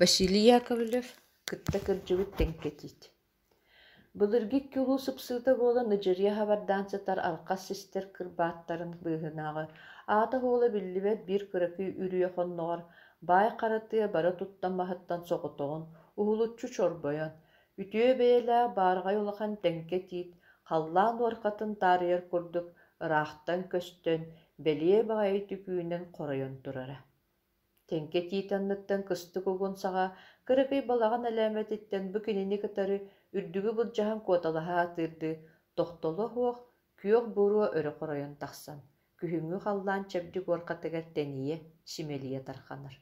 Василий Яковлев кытта кырдьыбыт Тэҥкэ Тиит Былыргы икки улуу сыпсыыта буолан ыдьырыйа хабардаан сытар алхас систэр кырбааттарын быыһынааҕы аата-суола биллибэт биир кыракый үрүйэ хонноҕор баай хара тыа бары туттан маһыттан соҕотоҕун уһулуччу чорбойон, үтүө бэйэлээх баараҕай улахан Тэҥкэ Тиит халлаан уорҕатын таарыйар курдук ыраахтан көстөн, бэлиэ баҕайы түкүүнэн хоройон турара. Тэҥкэ тиит анныттан кыстык угун саҕа кыракый балаҕан элээмэтиттэн бу кинини кытары үрдүгү былдьаһан куоталаһа сатыырдыы тохтоло суох күөх буруо өрө хоройон тахсан, күһүҥҥү халлаан чэбдик уорҕатыгар тэнийэ, симэлийэ тарҕанар.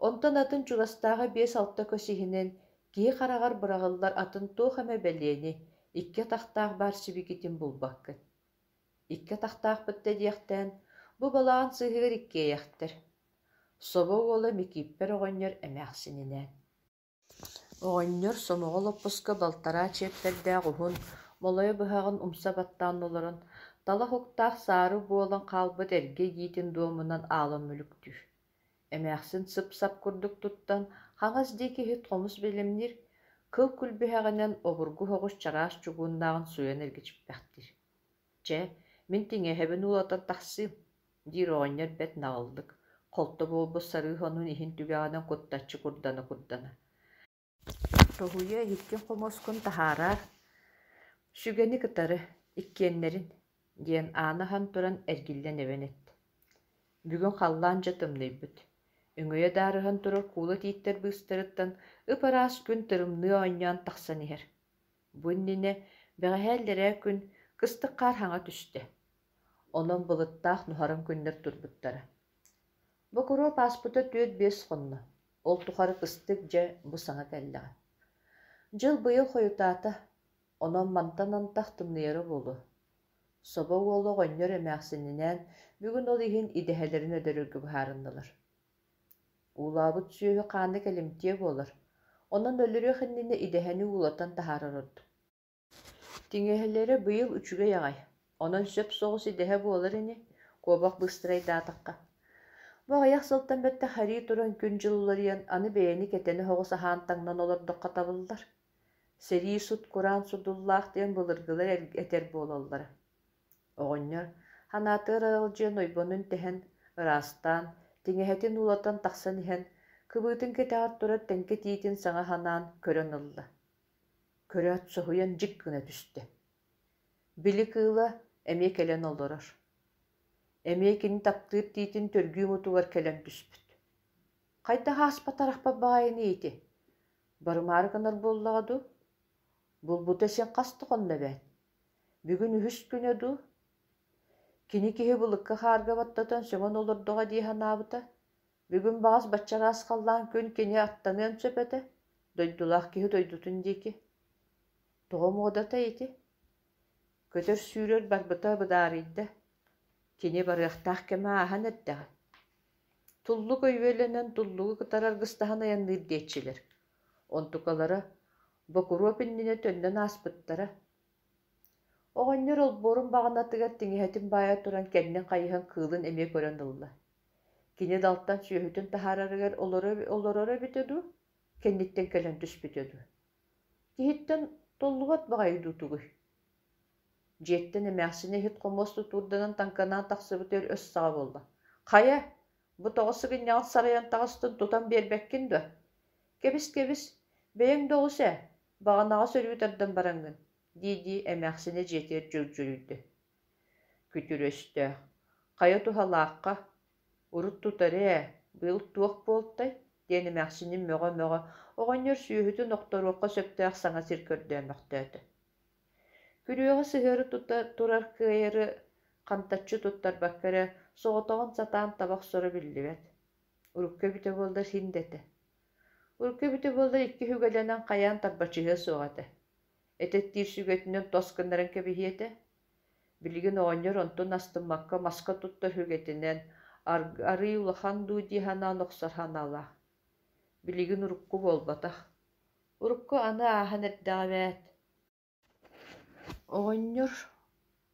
Онтон атын чугастааҕы биэс-алта көс иһинэн киһи хараҕар быраҕыллар атын туох эмэ бэлиэни, икки атахтаах баар сибикитин булбаккын. Икки атахтаахпыт да диэхтээн, бу балаҕан сыыһыгар иккиэйэхтэр, Собо уола Микииппэр оҕонньор эмээхсининээн. Оҕонньор сомоҕо лоппуска балтараа чиэппэрдээх уһун, молойо быһаҕын умса баттаан олорон, талах уктаах саары буолан хаалбыт эргэ игиитин дуомунан аалан мүлүктүүр. Эмээхсин сып-сап курдук туттан, хаҥас диэки иһит хомус бэлэмниир, кыл күлбүһэҕинэн обургу соҕус чараас чугууннааҕын сууйан эргичиппэхтиир. Чэ, мин тиҥэһэбин уулатан тахсыым, диир оҕонньор бэрт наҕыллык, холто буолбут сарыы сонун иһин түгэҕинэн куттаччы курдана-курдана. Тоһуйа иһиккин хомуоскун таһаараар, сүгэни кытары, иккиэннэрин, диэн ааны аһан туран эргиллэн эбэн эттэ. Бүгүн халлаан дьэ тымныйбыт. Өҥөйө даарыһан турар куула тииттэр быыстарыттан ып-ыраас күн тырымныы оонньоон тахсан иһэр. Бу иннинэ, бэҕэһээ иллэрээ күн, кыстык хаар хаҥа түстэ. Онон былыттаах нуһараҥ күннэр турбуттара. Бокуруоп ааспыта түөрт-биэс хонно, ол тухары кыстык дьэ бу саҥа кэллэҕэ. Дьыл быйыл хойутаата, онон мантан антах тымныйара буолуо. Собо уола оҕонньор эмээхсининээн бүгүн ол иһин идэһэлэрин өлөрөргө быһаарыннылар. Уулаабыт сүөһү хаана кэлимтиэ буолар, онон өлөрүөх иннинэ идэһэни уулатан таһаарар ордук. Тиҥэһэлэрэ быйыл үчүгэй аҕай, онон сөп соҕус идэһэ буолар ини, куобах быыстарайдаатахха. Бу аҕыйах сылтан бэттэх харии туран күн-дьыл уларыйан, аны бэйэни кэтэнэ соҕус аһаан таҥнан олордоххо табыллар. Сэрии сут-кураан содуллаах диэн былыргылар этэр буолаллара. Оҕонньор ханаатыгар аралдьыйан ойбонун тэһэн, ыраастаан, тиҥэһэтин уулатан тахсан иһэн, кыбыытын кэтэҕэр турар тэҥкэ тиитин саҥа санаан көрөн ылла. Көрөөт соһуйан дьик гына түстэ. Били кыыла эмиэ кэлэн олорор. Эмиэ кини таптыыр тиитин төргүү мутугар кэлэн түспүт. Хайдах ааспатарахпат баҕайыный ити? Барымаары гынар буоллаҕа дуу? Булбута син хас да хонно эбээт. Бүгүн үһүс күнэ дуу? Кини киһи былыкка хаарга баттатан сөҥөн олордоҕо дии санаабыта. Бүгүн баҕас бачча ыраас халлаан күн кини аттаныан сөп этэ, дойдулаах киһи дойдутун диэки. Тоҕо муодатай ити? Көтөр-сүүрэр барбыта быдаарыйда. Кини барыахтаах кэмэ ааһан эрдэҕэ. Туллук өйүөлэнэн туллугу кытары аргыстаһан айанныыр диэччилэр. Онтукалара Бокуруоп иннинэ төннөн ааспыттара. Оҕонньор олбуорун баҕанатыгар тиҥэһэтин баайа туран кэннин хайыһан кыылын эмиэ көрөн ылла. Кини далтан сүөһүтүн таһаарарыгар олороро эбитэ дуу, кэнниттэн кэлэн түспүтэ дуу? Киһиттэн толлубат баҕайы дуу тугуй? Дьиэттэн эмээхсинэ иһит-хомуос тутуурданан таҥканаан тахсыбытыгар өс саҕа буолла: «Хайа, бу тоҕо сыгынньаҕын сарайан таҕыстын тутан биэрбэккин дуо? Кэбис-кэбис, бэйэҥ да оҕус ээ, баҕанаҕа сөрүү тардан бараҥҥын» дии-дии эмээхсинэ дьиэтигэр дьөгдьөрүйдэ. Күтүр өстөөх, хайа туһалаахха, урут тутары ээ, быйыл туох буолтай диэн эмээхсинин мөҕө-мөҕө оҕонньор сүөһүтүн охторуохха сөптөөх саҥа сир көрдөөмөхтөөтө. Күрүөҕэ сыһыары тута турар кыайары хантаччы туттарбакка эрэ соҕотоҕун сатаан таба охсоро биллибэт. Урукку эбитэ буоллар син да этэ. Урукку эбитэ буоллар икки үгэлэнэн хайаан тарбачыһыа суох этэ. Этэттиир сүгэтинэн тос гыннаран кэбиһиэ этэ. Билигин оҕонньор онтун астыммакка маска туттар сүгэтинэн арыый улахан дуу дии санаан охсор санаалаах. Билигин урукку буолбатах. Урукку аны ааһан эрдэҕэ эбээт. Оҕонньор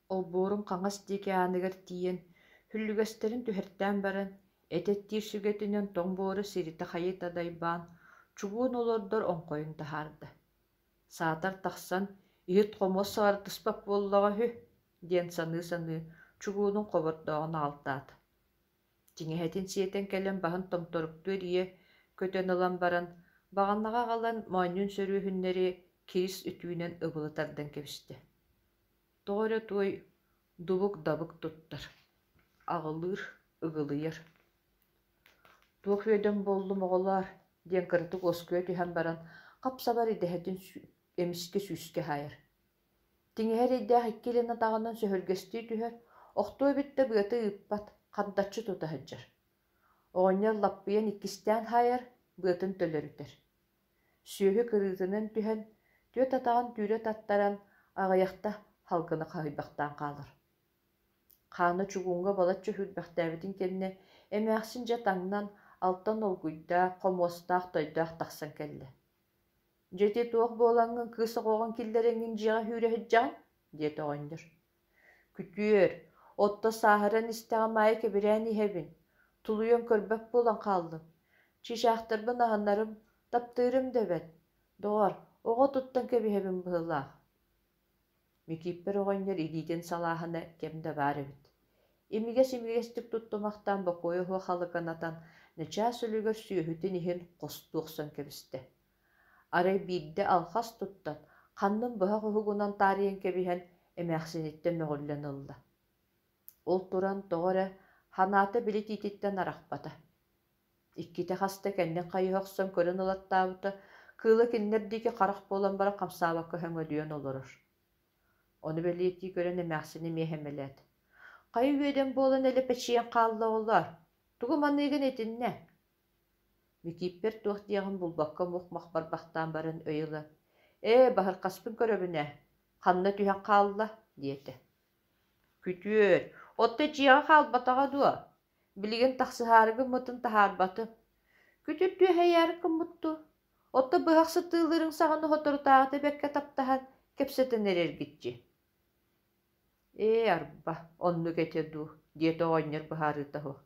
олбуорун хаҥас диэки ааныгар тиийэн, хүллүгэстэрин түһэртээн баран, Эт эттиир сүгэтинэн тоҥ буору сиритэ-хайыта дайбаан, чугуун олордор оҥхойун таһаарда. Саатар тахсан, иһит-хомуос саҕардыспат буоллаҕа үһү диэн саныы-саныы чугуунун хобордооҕун аҕалтаата. Тиҥэһэтин сиэтэн кэлэн баһын томторуктуу эрийэ көтөн ылан баран, баҕанаҕа аҕалан моонньун сөрүөһүннэри кирис үтүүнэн ыбылы тардан кэбистэ. Тоҕо эрэ туой дубук-дабык туттар, аҕылыыр, ыгылыйар. Туох үөдэн буоллум оҕолоор диэн кыратык уоскуйа түһэн баран, хап-сабар идэһэтин эмискэ сүүскэ хаайар. Тиҥэһэ эрэйдээх икки илин атаҕынан сөһүргэстии түһэр, охтуо эбит да быата ыыппат, хантаччы тута сылдьар. Оҕонньор лаппыйан иккистээн хаайар, быатын төлөрүтэр. Сүөһү кырыытынан түһэн, түөрт атаҕын түүрэ таттаран, аҕыйахта халгыны хаһыйбахтаан хаалар. Хаана чугууҥҥа балачча сүүрбэхтээбитин кэннэ эмээхсин дьэ таҥнан, алтан олгуйдаах, хомуостаах, тойдоох тахсан кэллэ. «Дьэ ити туох буолаҥҥын кыыс оҕоҕун киллэрэҥҥин дьиэҕэ сүүрэ сылдьаҕын?» диэтэ оҕонньор. «Күтүөр, отто сааһыран истэҕим аайы кэбирээн иһэбин, тулуйан көрбөт буолан хааллым. Чыычаахтарбын аһынарым, таптыырым да эбэт. Доҕор, оҕо туттан кэбиһэбин быһыылаах» Микииппэр оҕонньор илиитин салааһына кэм да баар эбит. Имигэс-имигэстик туттумахтаан бокуойа суох халыканатан, начаас үлүгэр сүөһүтүн иһин хостуу охсон кэбистэ. Арай биирдэ алхас туттан, ханнын быһах уһугунан таарыйан кэбиһэн, эмээхсиниттэн мөҕүллэн ылла. Ол туран тоҕо эрэ ханаата били тиититтэн арахпата. Иккитэ хаста кэннин хайыһа охсон көрөн ылаттаабыта, кыыла кинилэр диэки харах буолан баран хамсаабакка сөҥөдүйэн олорор. Ону бэлиэтии көрөн эмээхсин эмиэ сэмэлээтэ: «Хайа үөдэн буолан элэпэчийэн хаалла оҕолоор, тугу маныыгын итиннэ?» Микииппэр туох диэҕин булбакка мух-мах барбахтаан баран өй ыла: «Ээ, баһырхаспын көрөбүн ээ, ханна түһэн хаалла?» диэтэ. «Күтүөр, отто дьиэҕэ хаалбатаҕа дуо? Билигин тахсыһаары гыммытын таһаарбатым. Күтүр түөһэйээри гыммыт дуу? Отто быһах сытыылыырыҥ саҕана соторутааҕыта бэркэ таптаһан, кэпсэтэн эрэргит Ээ, арба, оннук этэ дуу, диэтэ оҕонньор быһаарыыта суох.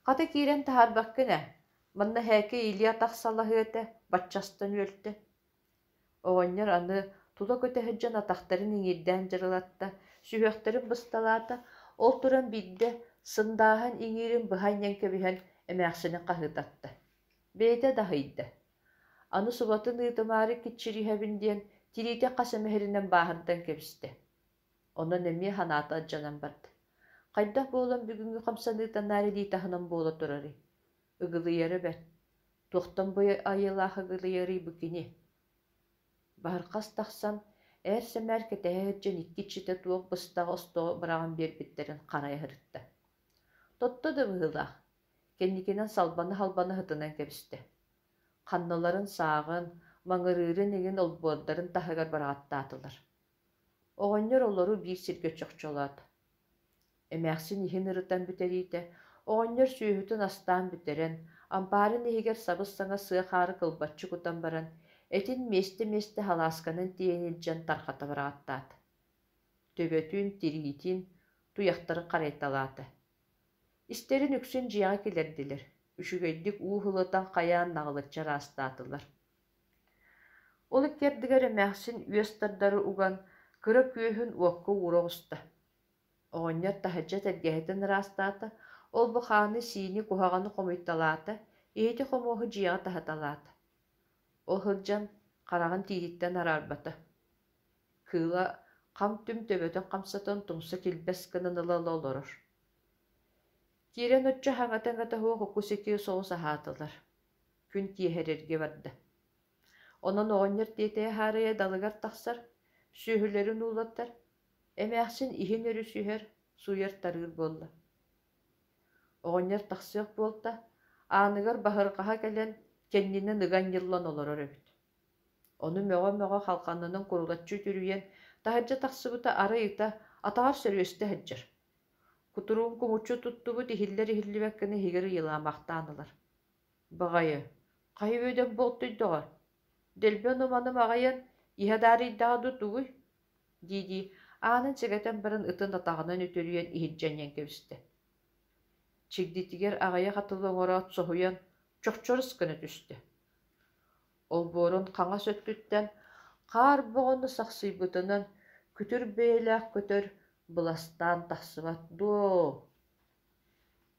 Хата киирэн таһаарбаккын ээ, манна эһээки илии-атах салаһыа этэ, баччастан үөлтэ. Оҕонньор аны тула көтө сылдьан атахтарын иҥиирдээн дьырылатта, сүһүөхтэрин бысталаата, ол туран биирдэ сындааһын иҥиирин быһа анньан кэбиһэн эмээхсини хаһыытатта. Бэйэтэ да аһыйда. Аны субатын ыытымаары киччириһэбин диэн тириитэ хас эмэ сиринэн бааһырдан кэбистэ. Онон эмиэ санаата алдьанан барда. Хайдах буолан бүгүҥҥү хамсаныыта наар илии таһынан буола турарый? Ыгылыйара бэрт. Туохтан бу айылаах ыгылыйарый бу кини? Баһырхас тахсан, ээр-сэмээр кэтэһэ сылдьан икки иччитэ туох быстаҕа-остоҕо быраҕан биэрбиттэрин харайа сырытта. Тотто да быһыылаах, кэнникинэн салбана-салбана сытынан кэбистэ. Ханналарын сааҕын, маҥырыырын иҥин олбуордарын таһыгар быраҕаттаатылар. Оҕонньор олору биир сиргэ чохчолоото. Эмээхсин иһин ырытан бүтэриитэ, оҕонньор сүөһүтүн астаан бүтэрэн, ампаарын иһигэр сабыс-саҥа сыа хаары кылбаччы кутан баран, этин миэстэ-миэстэ халаасканан тиэйэн илдьэн тархата быраҕаттаата. Төбөтүн, тириитин, туйахтарын харайталаата. Истэрин үксүн дьиэҕэ киллэрдилэр, үчүгэйдик уу ылытан хайаан наҕылыччы ыраастаатылар. Ол икки ардыгар эмээхсин үөс тардары уган, кыра күөһүн уокка уура оҕуста. Оҕонньор таһырдьа тэлгэһэтин ыраастаата, ол-бу хааны-сиини куһаҕаны хомуйталаата, иһити-хомуоһу дьиэҕэ таһыталаата. Ол сылдьан хараҕын тииһиттэн араарбата. Кыыла хам-түм төбөтүн хамсатан тумса килбэс гынан ыла-ыла олорор. Киирэн оччо хаҥата-аҥата суох уку-сики соҕус аһаатылар. Күн киэһэрэргэ барда. Онон оҕонньор тиэтэйэ-хаарыйа далыгар тахсар, сүөһүлэрин уулаттар, эмээхсин иһин өрүсүһэр, сууйар-тарыыр буолла. Оҕонньор тахсыах буолта, ааныгар баһырҕаһа кэлэн, кэннинэн ыга анньыллан олорор эбит. Ону мөҕө-мөҕө халҕанынан курулаччы үтүрүйэн, таһырдьа тахсыбыта арай ыта атаҕар сөрүөстэ сылдьар. Кутуругун кумуччу туттубут иһиллэр-иһиллибэт гына иһигэр ыйылаамахтаан ылар. Баҕайы, хайа үөдэн буолтуйдаҕа, дэлби ону-маны маҕыйан, иһэ даарыйдаҕа дуу тугуй дии-дии аанын сэгэтэн баран ытын атаҕынан үтүрүйэн иһирдьэ анньан кэбистэ. Чигдитигэр аҕыйах атылы оҥороот соһуйан чохчорус гына түстэ. Олбуорун хаҥас өттүттэн хаар боҕону сахсыйбытынан күтүр бэйэлээх көтөр быластаан тахсыбат дуо?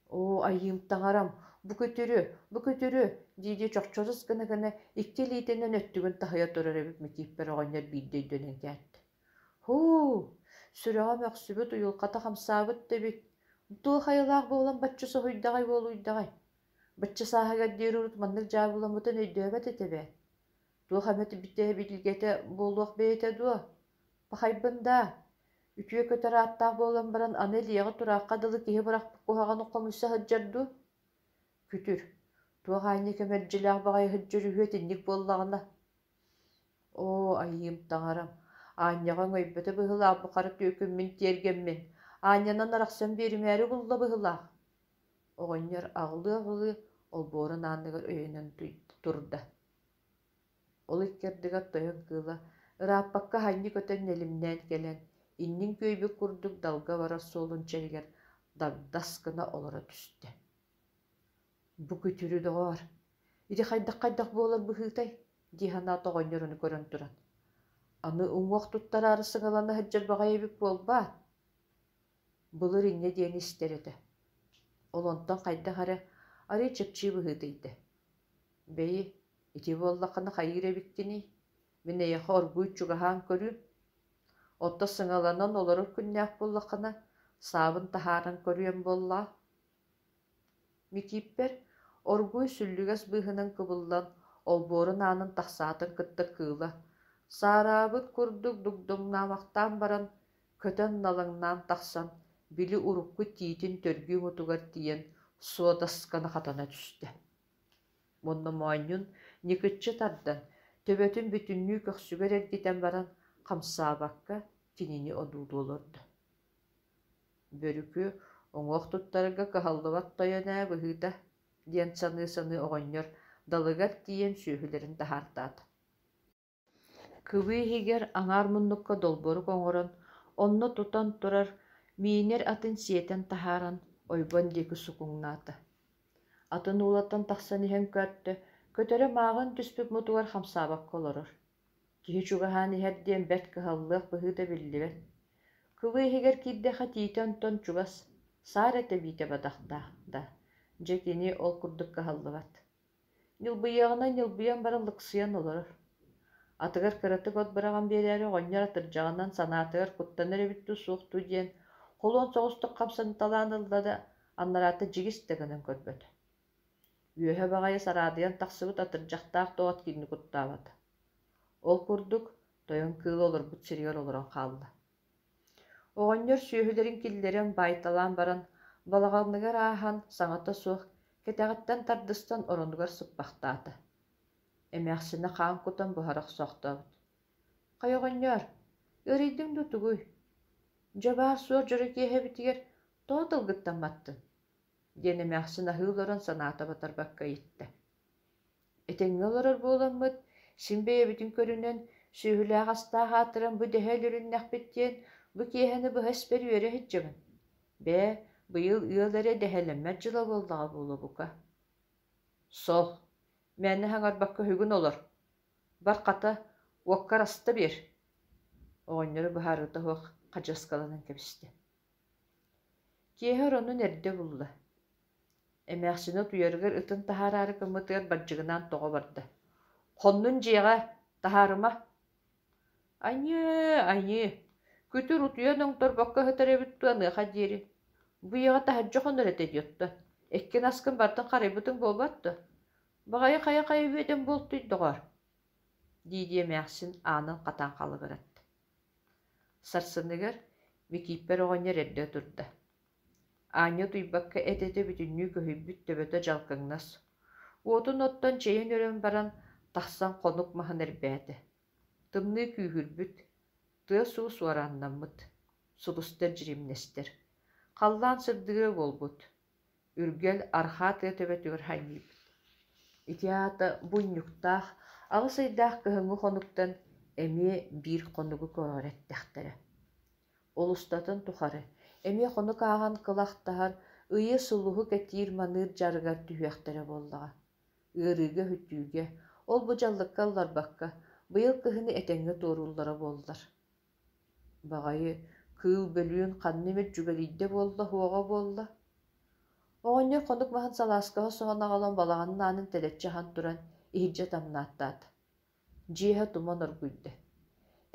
Оо, айыым таҥарам, бу күтүрү, бу күтүрү дии-дии чохчорус гына-гына икки илиитинэн өттүгүн таһыйа турар эбит Микииппэр оҕонньор биирдэ өйдөнөн кээттэ. Һуу, сүрэҕэ мөхсүбүт, уйулҕата хамсаабыт да эбит. Туох айылаах буолан бачча соһуйдаҕай буолуйдаҕай? Бачча сааһыгар диэри урут маннык дьаабыламмытын өйдөөбөт этэ эбээт. Туох эмэ битэ буолуох бэйэтэ дуо? Пахайбын даа, үтүө көтөр ааттаах буолан баран аны илиэҕэ тураахха дылы киһи бырахпыт куһаҕаны хомуйса сылдьар дуу? Күтүр, туох аанньа кэмэлдьилээх баҕайы сылдьар үһү итинник буоллаҕына? Оо, айыым таҥарам, аанньаҕа өҥөйбөтө быһыылаах бу хара түөкүммүн тиэргэммин, аанньанан арахсан биэримээри булла быһыылаах. Оҕонньор аҕылыы-аҕылыы олбуорун ааныгар өйөнөн турда. Ол икки ардыгар тойон кыыла ырааппакка аһанньы көтөн нэлимнээн кэлэн, иннин күөйбүт курдук далга барар суолун чэригэр дагдас гына олоро түстэ. Бу күтүрү доҕоор, ити хайдах-хайдах буолар быһыытай? дии санаата оҕонньор ону көрөн туран. Аны уҥуох туттараары сыҥалана сылдьар баҕайы эбит буолбаат? Былыр инньэ диэни истэр этэ. Ол онтон хайдах эрэ арыый чэпчии быһыытыйда. Бэйи, ити буоллаххына хайыыр эбиккиний? Мин эйиэхэ оргууй чугаһаан көрүүм. Оттон сыҥаланан олорор күннээх буоллаххына, саабын таһааран көрүөм буоллаа. Микииппэр оргууй сүллүгэс быыһынан кыбыллан, олбуорун аанын тахсаатын кытта кыыла, саараабыт курдук дугдуҥнаамахтаан баран, көтөн налыҥнаан тахсан, били урукку тиитин төргүү мутугар тиийэн суодасканы хатана түстэ. Уонна моонньун ньыкыччы тардан, төбөтүн бүтүннүү көхсүгэр эргитэн баран, хамсаабакка кинини одуулуу олордо. Бөрүкү уҥуох туттарарга кыһаллыбат тойон ээ быһыыта диэн саныы-саныы оҕонньор далыгар тиийэн сүөһүлэрин таһаартаата. Кыбыы иһигэр аҥаар муннукка долборук оҥорон, онно тутан турар миинэр атын сиэтэн таһааран ойбон диэки сукуҥнаата. Атын уулаттан тахсан иһэн көрдө, көтөрө мааҕын түспүт мутугар хамсаабакка олорор. Киһи чугаһаан иһэр диэн бэрт кыһаллыах быһыыта биллибэт. Кыбыы иһигэр киирдэххэ тиитэ онтон чугас, саар этэ биитэ бадахтаах да, дьэ кини ол курдук кыһаллыбат. Ньылбыйыаҕынан ньылбыйан баран лыксыйан олорор. Атыгар кыратык от быраҕан биэрээри оҕонньор атырдьаҕынан санаатыгар куттанар эбит дуу, суох дуу диэн холуон соҕустук хамсаныталаан ылла да, аннараата дьигис да гынан көрбөтө. Үөһэ баҕайы сараадыйан тахсыбыт атырдьахтаах доҕот кинини куттаабата. Ол курдук тойон кыыл олорбут сиригэр олорон хаалла. Оҕонньор сүөһүлэрин киллэрэн баайталаан баран, балаҕаныгар ааһан, саҥата суох, кэтэҕиттэн тардыстан оронугар сыппахтаата. Эмээхсинэ хаан кутан буһара охсоохтообут. «Хайа оҕонньоор, ыарыйдыҥ дуу тугуй? Дьэ баар-суох дьоро киэһэбитигэр тоҕо тылгыттан маттыҥ?» диэн эмээхсин аһыы олорон санаата батарбакка ыйытта. Этэҥҥэ олорор буоламмыт, син бэйэбитин көрүнэн, сүөһүлээх-астаах аатыран бу дэһэ өлөрүннэхпит диэн бу киэһэни быһа испэр үөрэ сылдьабын. Бээ, быйыл ыал эрэ дэһэлэммэт дьыла буоллаҕа буолуо бука. Сол, мээнэ саҥарбакка үһүгүн олор. Бар хата, уоккар аста биэр. Оҕонньору быһаарыыта суох хадьыаскаланан кэбистэ. Киэһэ оронун эрдэ булла. Эмээхсинэ утуйарыгар ытын таһаараары гыммытыгар бардьыгынаан тоҕо барда: «Хоннун дьиэҕэ, таһаарыма!» «Аньыы, аньыы, күтүр утуйан оҥторбокко сытар эбит дуу аныаха диэри. Бу ийэҕэ таһырдьа хонор этэ дии оттон. Эккин аскын барытын харайбытыҥ буолбат дуо? Баҕайы хайа-хайа үөдэн буолтуй доҕоор?» дии-дии эмээхсин аанын хатаан халыгыратта. Сарсыныгар Микииппэр оҕонньор эрдэ турда. Аанньа утуйбакка эт-этэ бүтүннүү көһүйбүт төбөтө дьалкыҥнас. Уотун оттон чэйин өрөн баран, тахсан хонук маһын эрбээтэ. Тымныы күүһүрбүт, тыас-уус уорааннаммыт, сулустар дьиримнэстэр. Халлаан сырдыга буолбут, Үргэл арҕаа тыа төбөтүгэр ханньыйбыт. Ити аата бу унньуктаах, аҕыс ыйдаах кыһыҥҥы хонуктан эмиэ биир хонугу көҕүрэттэхтэрэ. Ол устатын тухары эмиэ хонук ааҕан кылахтаһар, Ыйы, сулуһу кэтиир-маныыр дьарыгар түһүөхтэрэ буоллаҕа. Ыарыыга-өһүтүүгэ, ол-бу дьаллыкка ылларбакка, быйыл кыһыны этэҥҥэ туорууллара буоллар. Баҕайы, кыыл бөлүүн ханна эмит дьүгэлийдэ буолла, уоҕа буолла. Оҕонньор хонук маһын салааскаҕа соһон аҕалан балаҕанын аанын тэлэччи аһан туран иһирдьэ тамнааттаата. Дьиэһэ туман оргуйда.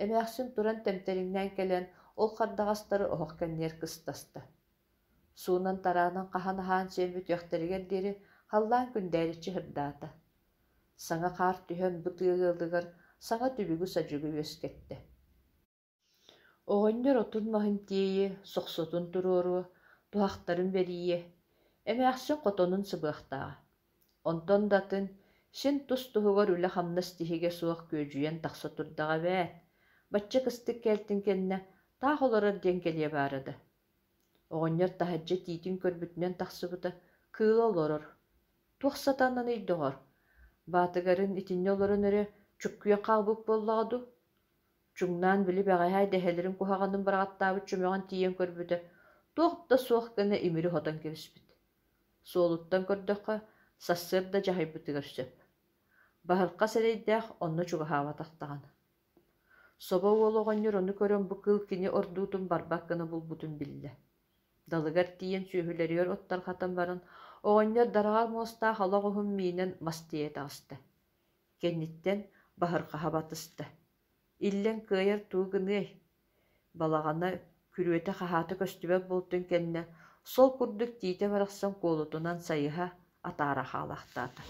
Эмээхсин туран тэмтэриҥнээн кэлэн ол хардаҕастары оһох кэннигэр кыстаста. Суунан-тараанан хаһан аһаан сиэн бүтүөхтэригэр диэри халлаан күндээриччи сырдаата. Саҥа хаар түһэн бу тыа ыалыгар саҥа түбүгү-садьыгы үөскэттэ. Оҕонньор отун-маһын тиэйиэ, сохсотун туруоруо, туһахтарын бэрийиэ, эмээхсин хотонун сыбыахтааҕа. Онтон да атын, син тус-туһугар үлэ-хамнас тиһигэ суох күөдьүйэн тахса турдаҕа эбээт, бачча кыстык кэлтин кэннэ таах олорор диэн кэлиэ баара да. Оҕонньор таһырдьа тиитин көрбүтүнэн тахсыбыта, кыыла олорор. Туох сатананый доҕор, баатыгарын итиннэ олорон эрэ чуккуйан хаалбыт буоллаҕа дуу? Чуҥнаан били бэҕэһээ дэһэлэрин куһаҕанын быраҕаттаабыт чөмөҕүн тиийэн көрбүтэ, туох да суох гына имири хотон кэбиспит. Суолуттан көрдөххө, сарсыарда дьаһайбытыгар сөп. Баһырҕас эрэйдээх онно чугаһаабатах даҕаны. Собо уол оҕонньор ону көрөн бу кыыл кини ордуутун барбат гына булбутун биллэ. Далыгар тиийэн сүөһүлэригэр от тарҕатан баран, оҕонньор дараҕар муостаах ала оҕуһун миинэн мас тиэйэ таҕыста. Кэнниттэн баһырҕаһа батыста. Иллэҥ кыайар тугу гыныай? Балаҕана күрүөтэ-хаһаата көстүбэт буолтун кэннэ, сол курдук тиитэ барахсан куолутунан сайыһа, атаара хаалаахтаата.